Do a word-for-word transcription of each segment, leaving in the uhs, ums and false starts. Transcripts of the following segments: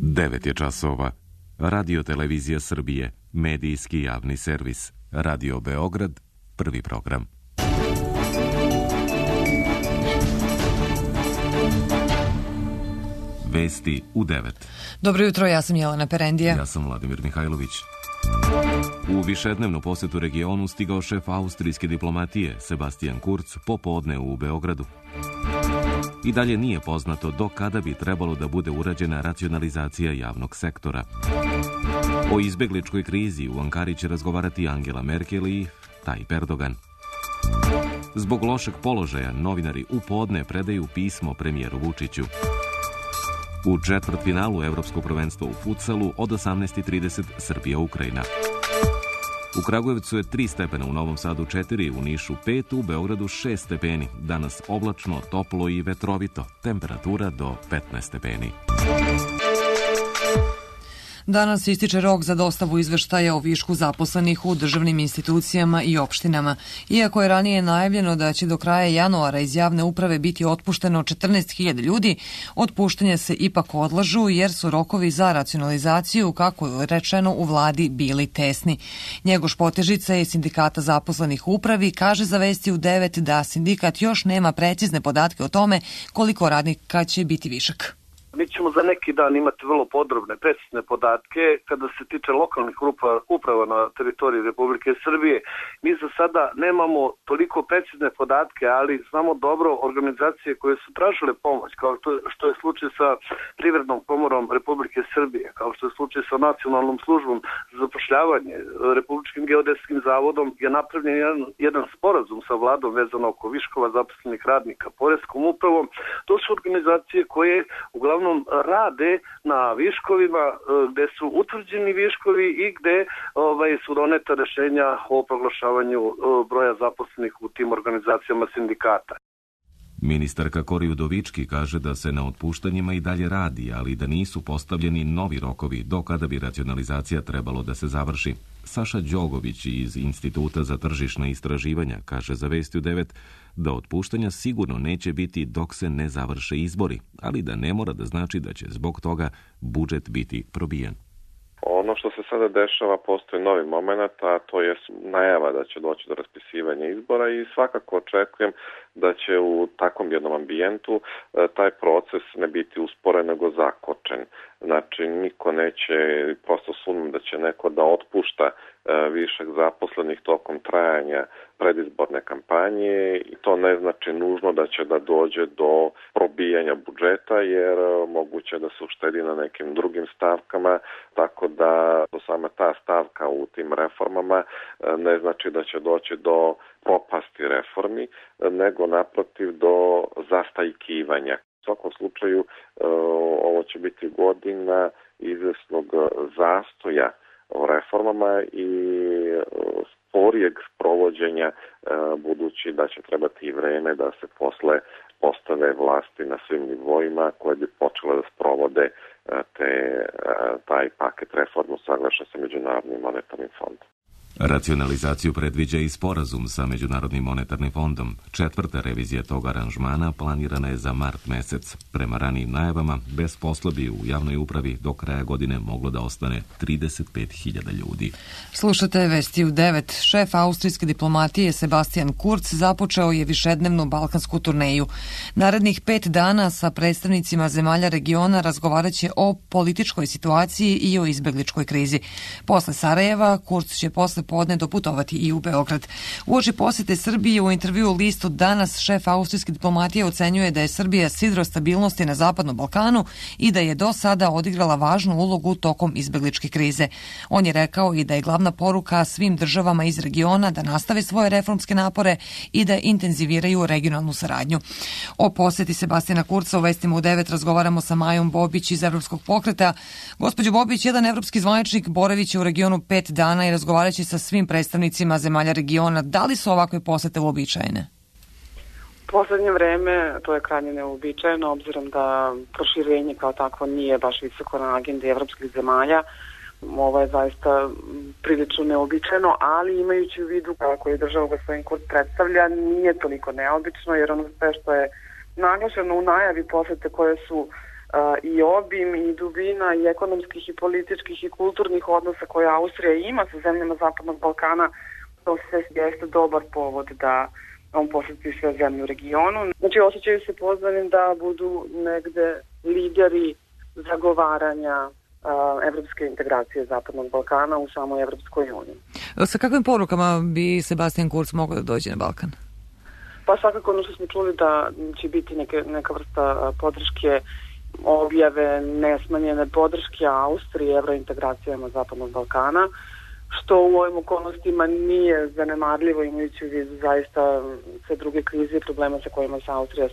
devet je časova. Radio Televizija Srbije, medijski javni servis. Radio Beograd, prvi program. Vesti u devet. Dobro jutro, ja sam Jelena Perendija. Ja sam Vladimir Mihajlović. U višednevnu posetu regionu stigao šef austrijske diplomatije Sebastian Kurz popodne u Beogradu. I dalje nije poznato do kada bi trebalo da bude urađena racionalizacija javnog sektora. O izbegličkoj krizi u Ankari će razgovarati Angela Merkel i Tayyip Erdogan. Zbog lošeg položaja novinari u podne predaju pismo premijeru Vučiću. U četvrtfinalu Evropskog prvenstva u futsalu od osamnaest i trideset Srbija-Ukrajina. U Kragujevcu je tri stepena, u Novom Sadu četiri, u Nišu pet, u Beogradu šest stepeni. Danas oblačno, toplo i vetrovito. Temperatura do petnaest stepeni. Danas ističe rok za dostavu izveštaja o višku zaposlenih u državnim institucijama i opštinama. Iako je ranije najavljeno da će do kraja januara iz javne uprave biti otpušteno četrnaest hiljada ljudi, otpuštanje se ipak odlažu jer su rokovi za racionalizaciju, kako je rečeno, u vladi bili tesni. Njegoš Potežica iz Sindikata zaposlenih u upravi kaže za Vesti u devet da sindikat još nema precizne podatke o tome koliko radnika će biti višak. Mi ćemo za neki dan imati vrlo podrobne, precizne podatke kada se tiče lokalnih uprava na teritoriji Republike Srbije. Mi za sada nemamo toliko precizne podatke, ali znamo dobro organizacije koje su tražile pomoć, kao što je slučaj sa Privrednom komorom Republike Srbije, kao što je slučaj sa Nacionalnom službom za zapošljavanje, Republičkim geodetskim zavodom je napravljen jedan, jedan sporazum sa vladom vezano oko viškova zaposlenih radnika, Poreskom upravom. To su organizacije koje uglavnom rade na viškovima gde su utvrđeni viškovi i gde ovaj, su doneta rešenja o proglašavanju broja zaposlenih u tim organizacijama sindikata. Ministarka Kori Udovički kaže da se na otpuštanjima i dalje radi, ali da nisu postavljeni novi rokovi do kada bi racionalizacija trebalo da se završi. Saša Đogović iz Instituta za tržišna istraživanja kaže za Vesti u devet da otpuštanja sigurno neće biti dok se ne završe izbori, ali da ne mora da znači da će zbog toga budžet biti probijen. Ono što se sada dešava, postoji novi moment, a to je najava da će doći do raspisivanja izbora i svakako očekujem da će u takvom jednom ambijentu taj proces ne biti usporen nego zakočen. Znači, niko neće, prosto sumnjam da će neko da otpušta višak zaposlenih tokom trajanja predizborne kampanje i to ne znači nužno da će da dođe do probijanja budžeta jer moguće da se uštedi na nekim drugim stavkama, tako da sama ta stavka u tim reformama ne znači da će doći do propasti reformi, nego naprotiv do zastajkivanja. U svakom slučaju ovo će biti godina izvesnog zastoja o reformama i sporijeg sprovođenja, budući da će trebati i vreme da se posle postave vlasti na svim nivoima koje bi počele da sprovode te, taj paket reformu saglašen sa Međunarodnim monetarnim fondom. Racionalizaciju predviđa i sporazum sa Međunarodnim monetarnim fondom. Četvrta revizija tog aranžmana planirana je za mart mesec. Prema ranijim najavama, bez posla bi u javnoj upravi do kraja godine moglo da ostane trideset pet hiljada ljudi. Slušate Vesti u devet. Šef austrijske diplomatije Sebastian Kurz započeo je višednevnu balkansku turneju. Narednih pet dana sa predstavnicima zemalja regiona razgovarat će o političkoj situaciji i o izbegličkoj krizi. Posle Sarajeva, Kurz će posle podne doputovati i u Beograd. Uoči posete Srbije u intervju listu Danas šef austrijske diplomatije ocenjuje da je Srbija sidro stabilnosti na Zapadnom Balkanu i da je do sada odigrala važnu ulogu tokom izbegličke krize. On je rekao i da je glavna poruka svim državama iz regiona da nastave svoje reformske napore i da intenziviraju regionalnu saradnju. O poseti Sebastijana Kurza u Vestima u devet razgovaramo sa Majom Bobić iz Evropskog pokreta. Gospođo Bobić, jedan evropski zvaničnik boraviće u regionu pet dana i razgovaraće sa svim predstavnicima zemalja regiona. Da li su ovakve posete uobičajene? U poslednje vreme to je krajnje neuobičajeno, obzirom da proširenje kao takvo nije baš visoko na agendi evropskih zemalja. Ovo je zaista prilično neobičajeno, ali imajući u vidu kako je država gospodin Kurz predstavlja, nije toliko neobično, jer ono sve što je naglašeno u najavi posete koje su i obim i dubina i ekonomskih i političkih i kulturnih odnosa koje Austrija ima sa zemljama Zapadnog Balkana, to sve jeste dobar povod da on posjeti sve zemlje u regionu. Znači, osjećaju se pozvanim da budu negde lideri zagovaranja uh, evropske integracije Zapadnog Balkana u samoj Evropskoj uniji. Sa kakvim porukama bi Sebastian Kurz mogao da dođe na Balkan? Pa svakako ono što smo čuli da će biti neke, neka vrsta podrške, objave nesmanjene podrške Austrije evrointegracijama Zapadnog Balkana, što u ovim okolnostima nije zanemarljivo imajući u vidu zaista sve druge krize i problema sa kojima se Austrija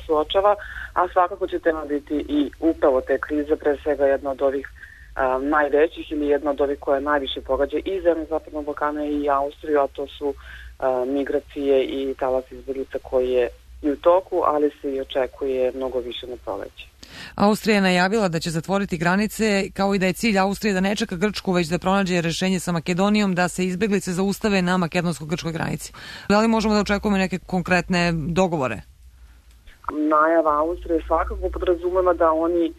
suočava, a svakako će tema biti i upravo te krize, pre svega jedna od ovih a, najvećih ili jedna od ovih koja najviše pogađa i zemlje Zapadnog Balkana i Austriju, a to su a, migracije i talas izbjeglica koji je i u toku, ali se i očekuje mnogo više na proleće. Austrija je najavila da će zatvoriti granice, kao i da je cilj Austrije da ne čeka Grčku, već da pronađe rešenje sa Makedonijom da se izbeglice zaustave na makedonsko-grčkoj granici. Da li možemo da očekujemo neke konkretne dogovore? Najava Austrije svakako podrazumeva da oni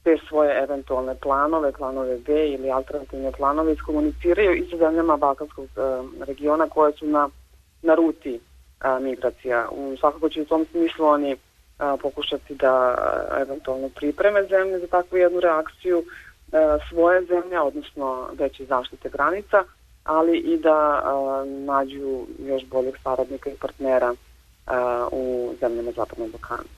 te svoje eventualne planove, planove B ili alternativne planove iskomuniciraju i sa zemljama Balkanskog uh, regiona koje su na, na ruti uh, migracija. Um, svakako će u tom smislu oni A, pokušati da a, eventualno pripreme zemlje za takvu jednu reakciju, a, svoje zemlje, odnosno veće zaštite granica, ali i da a, nađu još boljeg saradnika i partnera a, u zemljama Zapadnog Balkana.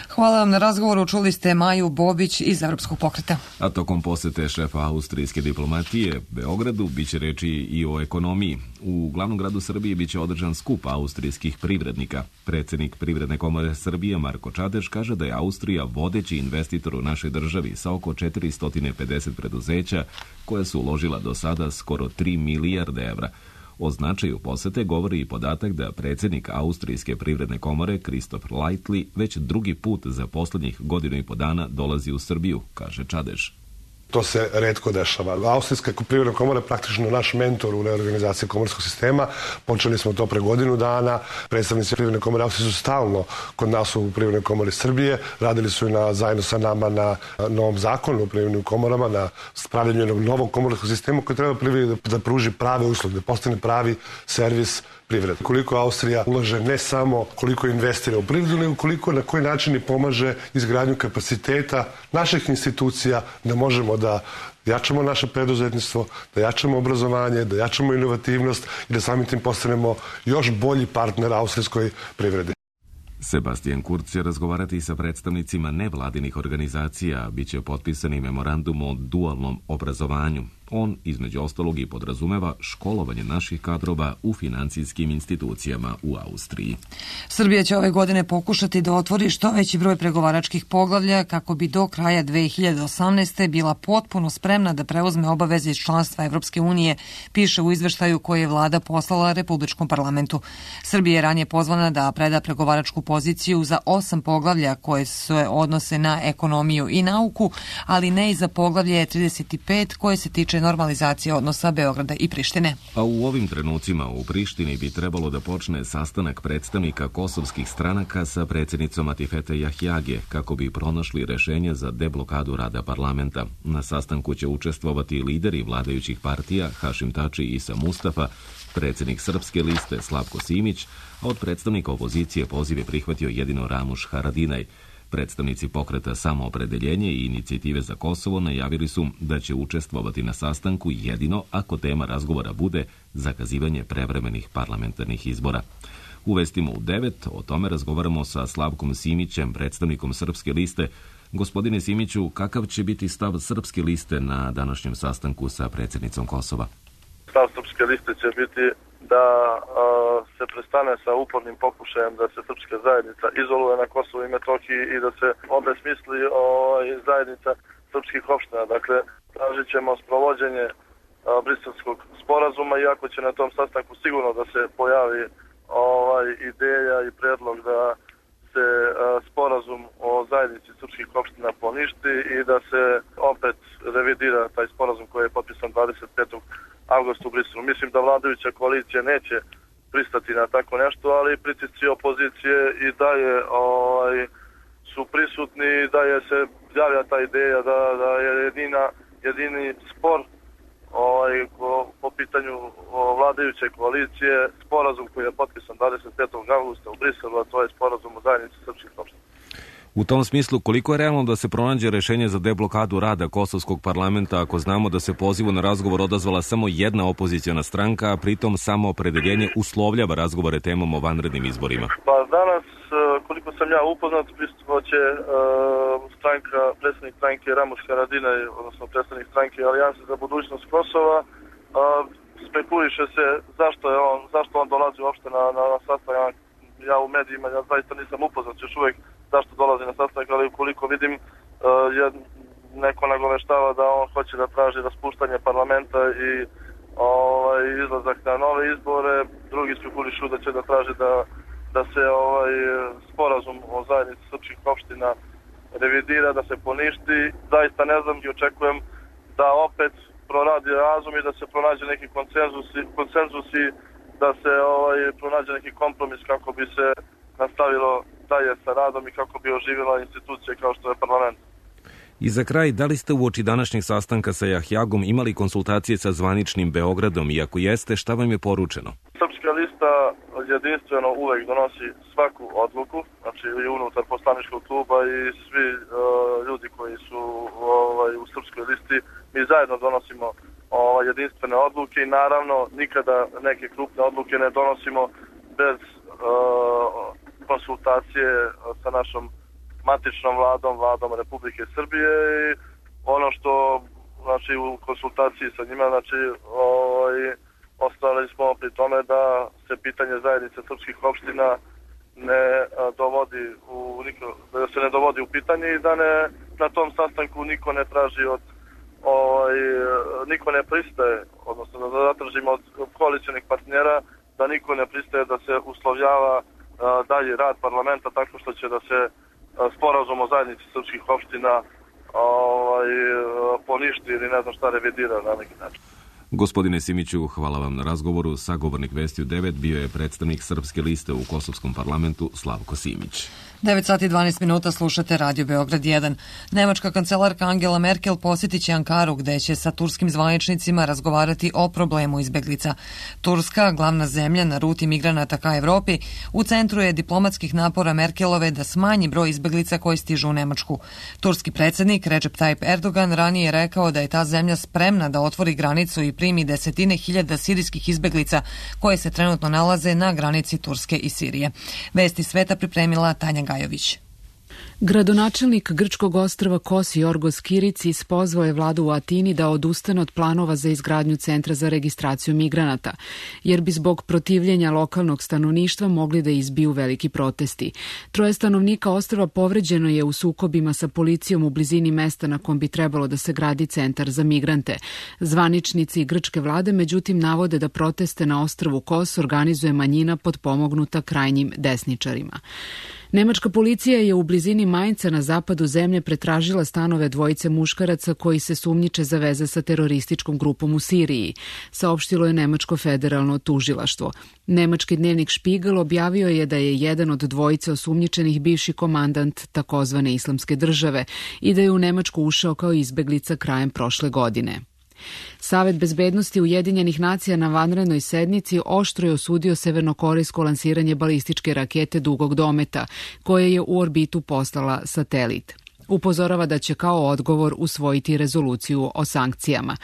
Hvala vam na razgovoru. Čuli ste Maju Bobić iz Evropskog pokreta. A tokom posete šefa austrijske diplomatije Beogradu biće reči i o ekonomiji. U glavnom gradu Srbije biće održan skup austrijskih privrednika. Predsjednik Privredne komore Srbije Marko Čadeš kaže da je Austrija vodeći investitor u našoj državi sa oko četiristo pedeset preduzeća koja su uložila do sada skoro tri milijarde evra. O značaju posete govori i podatak da predsjednik Austrijske privredne komore Christoph Leitli već drugi put za posljednjih godinu i po dana dolazi u Srbiju, kaže Čadeš. To se retko dešava. Austrijska privredna komora je praktično naš mentor u reorganizaciji komorskog sistema. Počeli smo to pre godinu dana. Predstavnici privredne komore Austrije su stalno kod nas u privrednoj komori Srbije. Radili su i na, zajedno sa nama na novom zakonu o privrednim komorama, na spravljanju jednog novog komorskog sistema koji treba privredi da, da pruži prave usluge, da postane pravi servis privrede. Koliko Austrija ulaže ne samo koliko investira u privredu, nego koliko na koji način i pomaže izgradnju kapaciteta naših institucija da možemo da jačamo naše preduzetništvo, da jačamo obrazovanje, da jačamo inovativnost i da samim tim postanemo još bolji partner austrijskoj privredi. Sebastian Kurz će razgovarati sa predstavnicima nevladinih organizacija, bit će potpisani memorandum o dualnom obrazovanju. On, između ostalog, i podrazumeva školovanje naših kadrova u financijskim institucijama u Austriji. Srbija će ove godine pokušati da otvori što veći broj pregovaračkih poglavlja kako bi do kraja dve hiljade osamnaeste. bila potpuno spremna da preuzme obaveze iz članstva Evropske unije, piše u izveštaju koji je vlada poslala Republičkom parlamentu. Srbija je ranije pozvana da preda pregovaračku poziciju za osam poglavlja koje se odnose na ekonomiju i nauku, ali ne i za poglavlje trideset pet koje se tiče normalizacije odnosa Beograda i Prištine. A u ovim trenucima u Prištini bi trebalo da počne sastanak predstavnika kosovskih stranaka sa predsjednicom Atifete Jahjage kako bi pronašli rešenje za deblokadu rada parlamenta. Na sastanku će učestvovati lideri vladajućih partija Hašim Tači i Isa Mustafa, predsjednik Srpske liste Slavko Simić, a od predstavnika opozicije poziv je prihvatio jedino Ramuš Haradinaj. Predstavnici pokreta Samoopredeljenje i Inicijative za Kosovo najavili su da će učestvovati na sastanku jedino ako tema razgovora bude zakazivanje prevremenih parlamentarnih izbora. U vestima u devet o tome razgovaramo sa Slavkom Simićem, predstavnikom Srpske liste. Gospodine Simiću, kakav će biti stav Srpske liste na današnjem sastanku sa predsjednicom Kosova? Stav Srpske liste će biti da a, se prestane sa upornim pokušajem da se srpska zajednica izoluje na Kosovu i Metohiji i da se obesmisli o, zajednica srpskih opština. Dakle, tražit ćemo sprovođenje a, Briselskog sporazuma, iako će na tom sastanku sigurno da se pojavi ovaj, ideja i predlog da se a, sporazum o zajednici srpskih opština poništi i da se opet revidira taj sporazum koji je potpisan dvadeset petog avgusta u Briselu. Mislim da vladajuća koalicija neće pristati na tako nešto, ali pritisci opozicije i dalje ovaj, su prisutni i dalje se javlja ta ideja da, da je jedina, jedini spor ovaj, po, po pitanju vladajuće koalicije sporazum koji je potpisan dvadeset petog avgusta u Briselu, a to je sporazum o zajednici srpskih opština. U tom smislu, koliko je realno da se pronađe rešenje za deblokadu rada Kosovskog parlamenta ako znamo da se pozivu na razgovor odazvala samo jedna opoziciona stranka, a pritom samo opredeljenje uslovljava razgovore temom o vanrednim izborima? Pa danas, koliko sam ja upoznat, pristupnoće uh, stranka, predsednik stranke Ramuš Haradinaj, odnosno predsednik stranke Alijanse za budućnost Kosova, uh, spekuliše se zašto je on, zašto on dolazi uopšte na, na, na sastanak. Ja u medijima, ja zaista nisam upoznat još uvek zašto dolazi na sastanak, ali ukoliko vidim uh, je, neko nagoveštava da on hoće da traži raspuštanje parlamenta i ovaj, izlazak na nove izbore, drugi spekulišu da će da traži da, da se ovaj, sporazum o zajednici srpskih opština revidira, da se poništi. Zaista ne znam i očekujem da opet proradi razum i da se pronađe neki konsenzusi, konsenzusi da se ovaj, pronađe neki kompromis kako bi se nastavilo dalje sa radom i kako bi oživjela institucije kao što je parlament. I za kraj, da li ste uoči današnjeg sastanka sa Jahjagom imali konsultacije sa zvaničnim Beogradom i ako jeste, šta vam je poručeno? Srpska lista jedinstveno uvek donosi svaku odluku, znači i unutar poslaničkog kluba i svi uh, ljudi koji su ovaj, u Srpskoj listi, mi zajedno donosimo ovaj, jedinstvene odluke i naravno nikada neke krupne odluke ne donosimo bez uh, konsultacije sa našom matičnom vladom, vladom Republike Srbije i ono što, znači u konsultaciji sa njima, znači ovaj, ostali smo pri tome da se pitanje zajednice srpskih opština ne dovodi u, da se ne dovodi u pitanje i da ne, na tom sastanku niko ne traži od ovaj, niko ne pristaje, odnosno da zatražimo od koalicionih partnera da niko ne pristaje da se uslovljava dalji rad parlamenta tako što će da se sporazum o zajednici srpskih opština ovaj, poništi ili ne znam šta revidira na neki način. Gospodine Simiću, hvala vam na razgovoru. Sagovornik Vesti u devet bio je predstavnik Srpske liste u Kosovskom parlamentu Slavko Simić. devet sati i dvanaest minuta slušate Radio Beograd jedan. Nemačka kancelarka Angela Merkel posjetit će Ankaru gde će sa turskim zvaničnicima razgovarati o problemu izbeglica. Turska, glavna zemlja na ruti migranata ka Evropi, u centru je diplomatskih napora Merkelove da smanji broj izbeglica koji stižu u Nemačku. Turski predsjednik Recep Tayyip Erdogan ranije je rekao da je ta zemlja spremna da otvori granicu i primi desetine hiljada sirijskih izbeglica koje se trenutno nalaze na granici Turske i Sirije. Vesti sveta pripremila Tanja Gajović. Gradonačelnik grčkog ostrva Kos Jorgos Kiricis pozvao je vladu u Atini da odustane od planova za izgradnju centra za registraciju migranata, jer bi zbog protivljenja lokalnog stanovništva mogli da izbiju veliki protesti. Troje stanovnika ostrva povređeno je u sukobima sa policijom u blizini mesta na kom bi trebalo da se gradi centar za migrante. Zvaničnici grčke vlade međutim navode da proteste na ostrvu Kos organizuje manjina potpomognuta krajnjim desničarima. Nemačka policija je u blizini Mainca na zapadu zemlje pretražila stanove dvojice muškaraca koji se sumnjiče za veze sa terorističkom grupom u Siriji, saopštilo je Nemačko federalno tužilaštvo. Nemački dnevnik Špigel objavio je da je jedan od dvojice osumnjičenih bivši komandant takozvane islamske države i da je u Nemačku ušao kao izbeglica krajem prošle godine. Savet bezbednosti Ujedinjenih nacija na vanrednoj sednici oštro je osudio severnokorejsko lansiranje balističke rakete dugog dometa, koje je u orbitu poslala satelit. Upozorava da će kao odgovor usvojiti rezoluciju o sankcijama.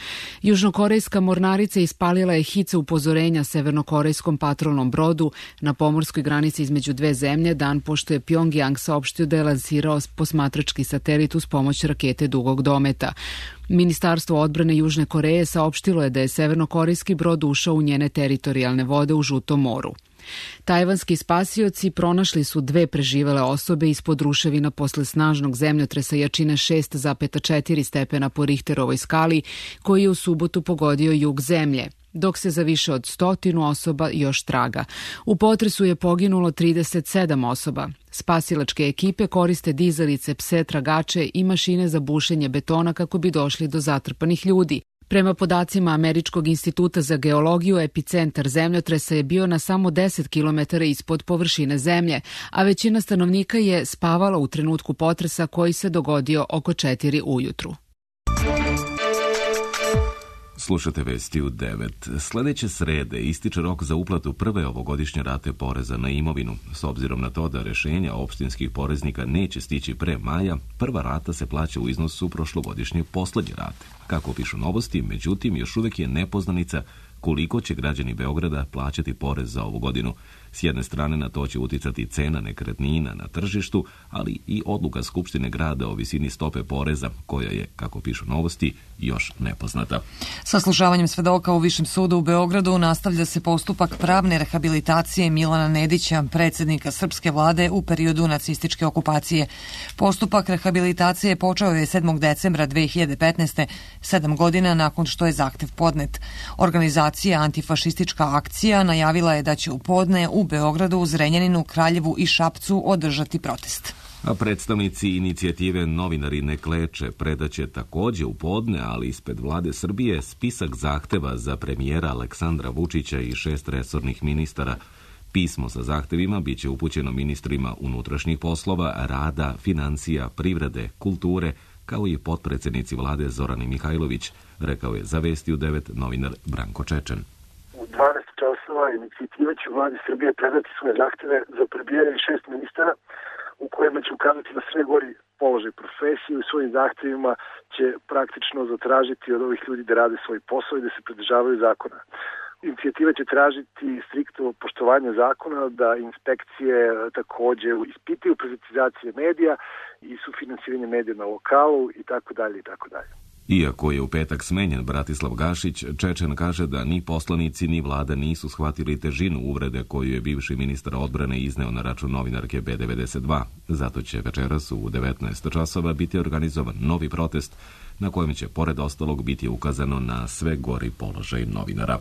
Južnokorejska mornarica ispalila je hice upozorenja severnokorejskom patrolnom brodu na pomorskoj granici između dve zemlje dan pošto je Pjongjang saopštio da je lansirao posmatrački satelit uz pomoć rakete dugog dometa. Ministarstvo odbrane Južne Koreje saopštilo je da je severnokorejski brod ušao u njene teritorijalne vode u Žutom moru. Tajvanski spasioci pronašli su dve preživele osobe ispod ruševina posle snažnog zemljotresa jačine šest zarez četiri stepena po Richterovoj skali koji je u subotu pogodio jug zemlje, dok se za više od stotinu osoba još traga. U potresu je poginulo trideset sedam osoba. Spasilačke ekipe koriste dizalice, pse tragače i mašine za bušenje betona kako bi došli do zatrpanih ljudi. Prema podacima Američkog instituta za geologiju, epicentar zemljotresa je bio na samo deset kilometara ispod površine zemlje, a većina stanovnika je spavala u trenutku potresa koji se dogodio oko četiri ujutru. Slušate vesti u devet. Sledeće srede ističe rok za uplatu prve ovogodišnje rate poreza na imovinu. S obzirom na to da rešenja opštinskih poreznika neće stići pre maja, prva rata se plaća u iznosu prošlogodišnje poslednje rate. Kako pišu Novosti, međutim, još uvek je nepoznanica koliko će građani Beograda plaćati porez za ovu godinu. S jedne strane na to će uticati cena nekretnina na tržištu, ali i odluka Skupštine grada o visini stope poreza, koja je, kako pišu Novosti, još nepoznata. Saslušavanjem svedoka u Višem sudu u Beogradu nastavlja se postupak pravne rehabilitacije Milana Nedića, predsjednika srpske vlade u periodu nacističke okupacije. Postupak rehabilitacije počeo je sedmog decembra dve hiljade petnaeste. sedam godina nakon što je zahtev podnet. Organizacija Antifašistička akcija najavila je da će u podne u Beogradu, Zrenjaninu, Kraljevu i Šapcu održati protest. A predstavnici inicijative Novinari ne kleče predaće takođe u podne, ali ispred vlade Srbije, spisak zahteva za premijera Aleksandra Vučića i šest resornih ministara. Pismo sa zahtevima biće upućeno ministrima unutrašnjih poslova, rada, financija, privrede, kulture, kao i potpredsednici vlade Zorani Mihajlović, rekao je za Vesti u devet novinar Branko Čečen. U dvanaest časova inicijativa će u vladi Srbije predati svoje zahteve za prebijanje šest ministara u kojima će ukazati na sve gori položaj profesije i u svojim zahtevima će praktično zatražiti od ovih ljudi da rade svoj posao i da se pridržavaju zakona. Inicijativa će tražiti striktno poštovanje zakona, da inspekcije takođe ispitaju privatizacije medija i sufinansiranje medija na lokalu i tako dalje i tako dalje. Iako je u petak smenjen Bratislav Gašić, Čečen kaže da ni poslanici ni vlada nisu shvatili težinu uvrede koju je bivši ministar odbrane izneo na račun novinarke B devedeset dva. Zato će večeras u devetnaest časova biti organizovan novi protest na kojem će pored ostalog biti ukazano na sve gori položaj novinara.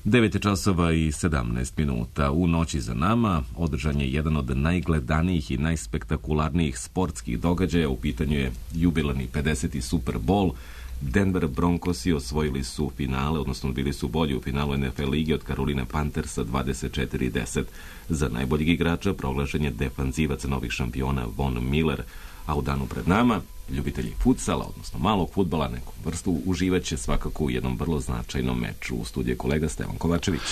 devet časova i sedamnaest minuta. U noći za nama održan je jedan od najgledanijih i najspektakularnijih sportskih događaja. U pitanju je jubilarni pedeseti Super Bowl. Denver Broncosi osvojili su finale, odnosno bili su bolji u finalu N F L lige od Caroline Panthersa dvadeset četiri deset. Za najboljeg igrača proglašen je defanzivac novih šampiona Von Miller. A u danu pred nama, ljubitelji futsala, odnosno malog fudbala, neku vrstu, uživaće svakako u jednom vrlo značajnom meču. U studiju kolega Stevan Kovačević.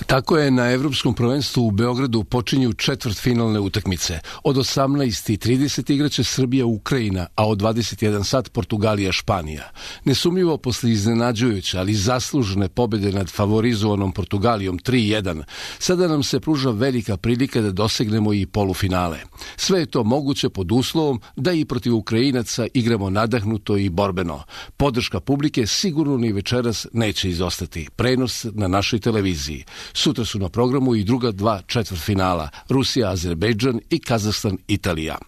Tako je, na Evropskom prvenstvu u Beogradu počinju četvrtfinalne utakmice. Od osamnaest i trideset igraće Srbija Ukrajina, a od dvadeset jedan sat Portugalija Španija. Nesumljivo posle iznenađujuće, ali zaslužene pobede nad favorizovanom Portugalijom tri jedan, sada nam se pruža velika prilika da dosegnemo i polufinale. Sve je to moguće pod uslovom da i protiv Ukrajinaca igramo nadahnuto i borbeno. Podrška publike sigurno ni večeras neće izostati. Prenos na našoj televiziji. Sutra su na programu i druga dva četvrtfinala, Rusija, Azerbejdžan i Kazahstan, Italija.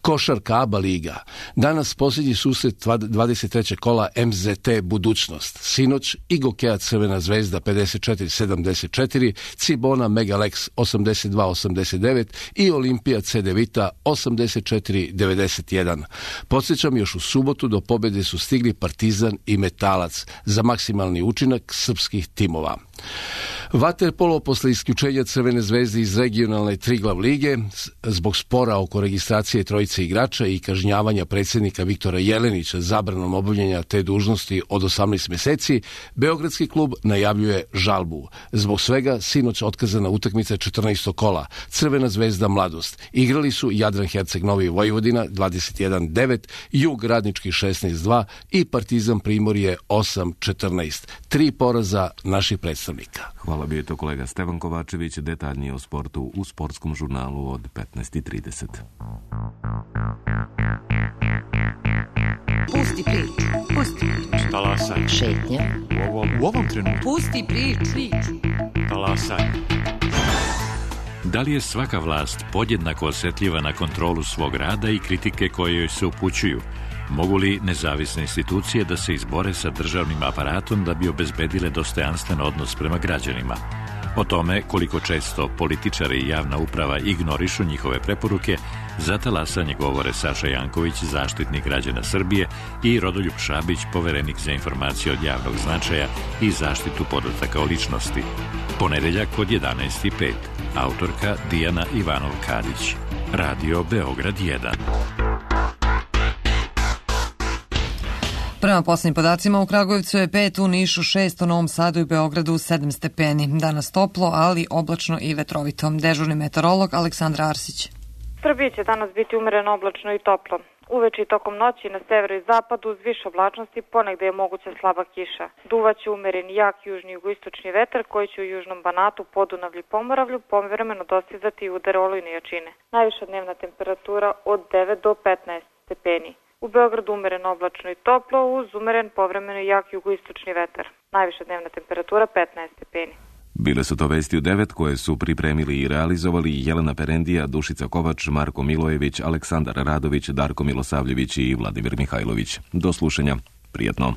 Košarka A B A liga. Danas posljednji susret dvadeset trećeg kola M Z T Budućnost. Sinoć i Gokeja Crvena zvezda pedeset četiri sedamdeset četiri, Cibona Megalex osamdeset dva osamdeset devet i Olimpija Cedevita osamdeset četiri devedeset jedan. Podsjećam, još u subotu do pobjede su stigli Partizan i Metalac za maksimalni učinak srpskih timova. Vaterpolo posle isključenja Crvene zvezde iz regionalne Triglav lige zbog spora oko registracije trojice igrača i kažnjavanja predsjednika Viktora Jelenića zabranom obavljanja te dužnosti od osamnaest meseci, beogradski klub najavljuje žalbu. Zbog svega sinoć otkazana utakmica četrnaestog kola. Crvena zvezda Mladost. Igrali su Jadran Herceg Novi Vojvodina dvadeset jedan devet, Jug Radnički šesnaest dva i Partizan Primorje osam četrnaest. Tri poraza naših predstavnika. Hvala, bio je to kolega Stevan Kovačević, detaljnije o sportu u sportskom žurnalu od petnaest i trideset. Pusti priču, pusti priču. Talasaj. Šetnja. U ovom, u ovom trenutku. Pusti priču. Talasaj. Da li je svaka vlast podjednako osjetljiva na kontrolu svog rada i kritike koje joj se upućuju? Mogu li nezavisne institucije da se izbore sa državnim aparatom da bi obezbedile dostojanstven odnos prema građanima? O tome koliko često političari i javna uprava ignorišu njihove preporuke Za talasanje govore Saša Janković, zaštitnik građana Srbije, i Rodoljub Šabić, poverenik za informacije od javnog značaja i zaštitu podataka o ličnosti. Ponedeljak od jedanaest i pet. Autorka Dijana Ivanov-Kadić. Radio Beograd jedan. Prema posljednjim podacima u Kragujevcu je pet, u Nišu šest, u Novom Sadu i Beogradu sedam stepeni. Danas toplo, ali oblačno i vetrovito. Dežurni meteorolog Aleksandra Arsić. Srbiji će danas biti umereno oblačno i toplo. Uveče i tokom noći na severu i zapadu uz više oblačnosti ponegde je moguća slaba kiša. Duvaće umereni jak južni i jugoistočni vetar koji će u južnom Banatu, Podunavlju i Pomoravlju povremeno dostizati udare olujne jačine. Najviša dnevna temperatura od devet do petnaest stepeni. U Beogradu umereno oblačno i toplo uz umeren povremeno jak jugoistočni vetar. Najviša dnevna temperatura petnaest stepeni. Bile su to vesti u devet koje su pripremili i realizovali Jelena Perendija, Dušica Kovač, Marko Milojević, Aleksandar Radović, Darko Milosavljević i Vladimir Mihajlović. Do slušanja. Prijetno.